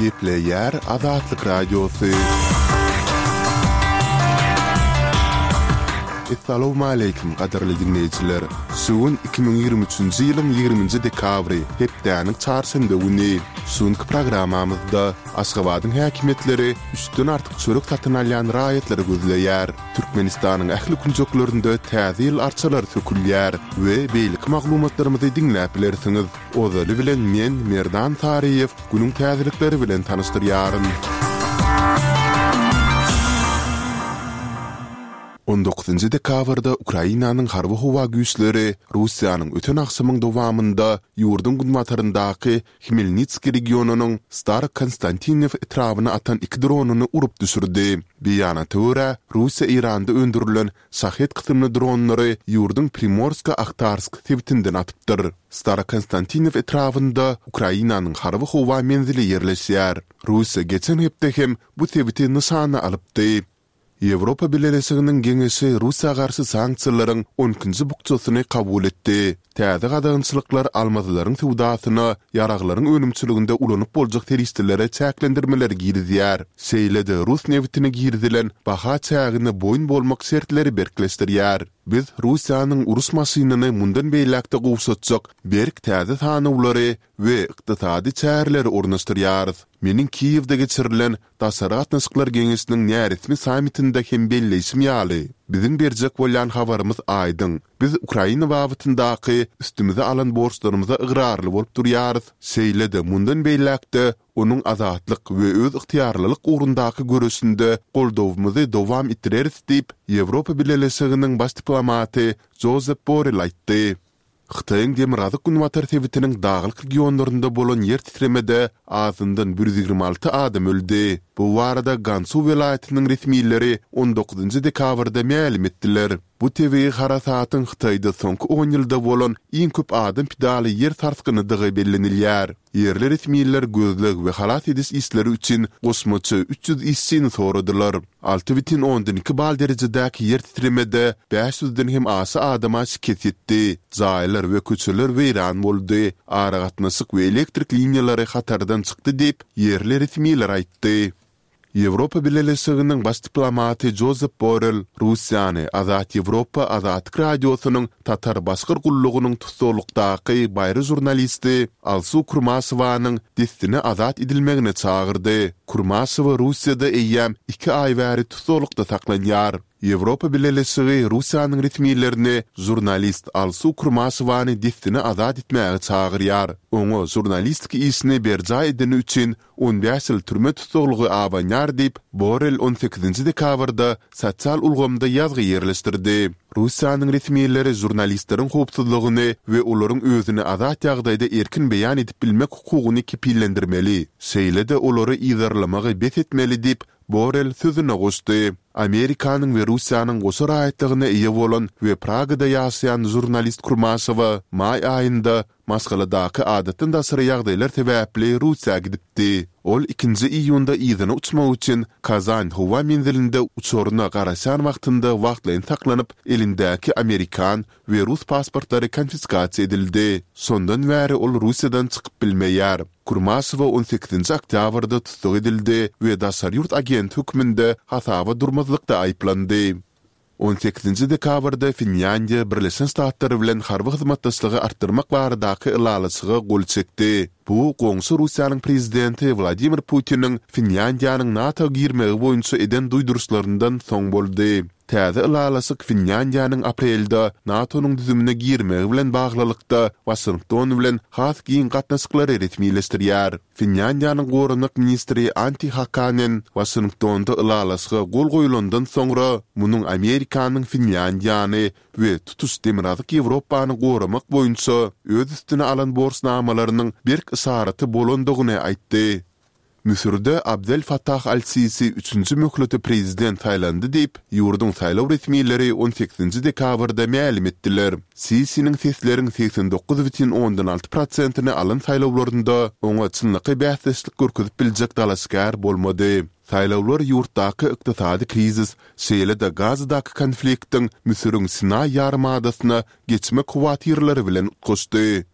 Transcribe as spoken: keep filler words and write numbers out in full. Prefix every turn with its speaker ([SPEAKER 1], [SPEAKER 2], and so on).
[SPEAKER 1] Gepleýär Azatlyk Radiosy. Essalawmaleýkim, gadyrly diňleýjiler! Şu gün iki müň ýigrimi üçünji ýylyň ýigriminji dekabry, hepdäniň çarşenbe güni. Şu günki programmamyzda Aşgabadyň häkimiýetleri üçden artyk çörek satyn alýan raýatlary gözleýär. Türkmenistanyň ähli künjeklerinde Täze ýyl arçalary sökülýär we beýleki maglumatlarymyzy diňläp bilersiňiz. Ozaly bilen men, Merdan Saryýew, günüň täzelikleri bilen tanyşdyrýaryn. On dokuzynjy dekabrda Ukrainanyň Harby-howa güýçleri Russiýanyň öten agşamyň dowamynda ýurduň günbataryndaky Hmelnitskiý regionynyň Starokonstantinew etrabyna atan iki dronyny urup düşürdi. Beýanata görä, Russiýa Eýranda öndürilen Şahed kysymly dronlary ýurduň Primorsko-Ahtarsk sebitinden atypdyr. Starokonstantinew etrabynda Ukrainanyň harby-howa menzili ýerleşýär. Russiýa geçen hepde hem bu sebiti nyşana alypdy. Ýewropa Bileleşiginiň Geňeşi Russiýa garşy sanksiýalaryň on ikinji bukjasyny kabul etdi. Täze gadagançylyklar almazlaryň söwdasyna, ýaraglaryň önümçiliginde ulanyp boljak serişdelere çäklendirmeleri girizýär. Şeýle-de rus nebitine girizilen baha çägine boýun bolmak şertleri berkleşdirýär. Biz Russiýanyň uruş maşynyny mundan beýläk-de gowşatjak berk täze sanawlary we ykdysady çäreleri ornaşdyrýarys. Meniň Kiýewde geçirilen Daşary gatnaşyklar geňeşiniň näresmi sammitinde hem belleýşim ýaly, biziň berjek bolýan habarymyz aýdyň, biz Ukraina babatyndaky üstümize alan borçlarymyza ygrarly bolup durýarys, şeýle-de mundan beýläk-de onuň azatlyk we özygtyýarlylyk ugrundaky göreşinde goldawymyzy dowam etdireris diýip, Ýewropa Bileleşiginiň baş diplomaty Jozep Borrell aýtdy. Hytaýyň demirgazyk-günbatar sebitiniň daglyk regionlarynda bolan ýer titremede azyndan bir ýüz ýigrimi alty adam öldi. Bu barada Gansu welaýatynyň resmileri on dokuzynjy dekabrda mälim etdiler. Bu tebigy harasatyň Hytaýda soňky on ýylda bolan iň köp adam pidaly ýer sarsgynydygy bellenilýär. Ýerli resmiler gözleg we halas ediş işleri üçin goşmaça üç ýüz işçini soradylar. Alty bütin ondan iki bal derejedäki ýer titremede bäş ýüzden hem aşa adama şikes ýetdi, jaýlar we köçeler weýran boldy, aragatnaşyk we elektrik liniýalary hatardan çykdy diýip, ýerli resmiler aýtdy. Ýewropa Bileleşiginiň baş diplomaty Jozep Borrell Russiýany Azat Ýewropa Azatlyk Radiosynyň Tatar-başgyr gullugynyň tussaglykdaky baýry žurnalisti Alsu Kurmaşewanyň dessine azat edilmegine çagyrdy. Kurmaşewa Russiýada eýýäm iki aý bäri tussaglykda saklanýar. Ýewropa Bileleşigi Russiýanyň resmilerini žurnalist Alsu Kurmaşewany dessine azat etmäge çagyrýar. Oňa žurnalistik işini berjaý edeni üçin on bäş ýyl türme tussaglygy abanýar diýip, Borrell on sekizinji dekabrda sosial ulgamda ýazgy ýerleşdirdi. Russiýanyň resmileri žurnalistleriň howpsuzlygyny we olaryň özüni azat ýagdaýda erkin beýan edip bilmek hukugyny kepillendirmeli, şeýle-de olary yzarlamagy bes etmeli diýip, Borrell sözüne goşdy. Amerikanyň we Russiýanyň goşa raýatlygyna eýe bolan we Pragada ýaşaýan žurnalist Kurmaşewa maý aýynda Maşgaladaky adatdan daşary ýagdaýlar sebäpli Russiýa gidipdi. Ol ikinji iýunda yzyna uçmak üçin Kazan howa menzilinde uçaryna garaşan wagtynda wagtlaýyn saklanyp, elindäki amerikan we rus pasportlary konfiskasiýa edildi. Şondan bäri ol Russiýadan çykyp bilmeýär. Kurmaşewa on sekizinji oktýabrda tussag edildi we daşary ýurt agenti hökmünde hasaba durmazlykda aýyplandy. On sekizinji dekabrda Finlýandiýa Birleşen Ştatlar bilen harby hyzmatdaşlygy artdyrmak baradaky ylalaşyga gol çekdi. Bu, goňşy Russiýanyň prezidenti Wladimir Putiniň Finlýandiýanyň NATO girmegi boýunça eden duýduryşlaryndan soň boldy. Täze ylalaşyk Finlýandiýanyň aprelde NATO-nyň düzümine girmegi bilen baglylykda Waşington bilen has giň gatnaşyklary resmileşdirýär. Finlýandiýanyň goranmak ministri Antti Hakanen Waşingtonda ylalaşyga gol goýlandan soňra, munuň Amerikanyň Finlýandiýany we tutuş Demirgazyk Ýewropany goramak boýunça öz üstüne alan borçnamalarynyň berk yşaraty bolandygyny aýtdy. Müsürde Abdel Fattah al-Sisi üçünji möhlete prezident saýlandy diýip, ýurduň saýlaw resmileri on sekizinji dekabrda mälim etdiler. Sisiniň sesleriň segsen dokuz bütin ondan alty prosentini alan saýlawlarynda oňa çynlakaý bäsdeşlik görkezip biljek dalaşgär bolmady. Saýlawlar ýurtdaky ykdysady krizis, şeýle-de Gazadaky konfliktiň Müsüriň Sinaý ýarymadasyna geçmek howatyrlary bilen utgaşdy.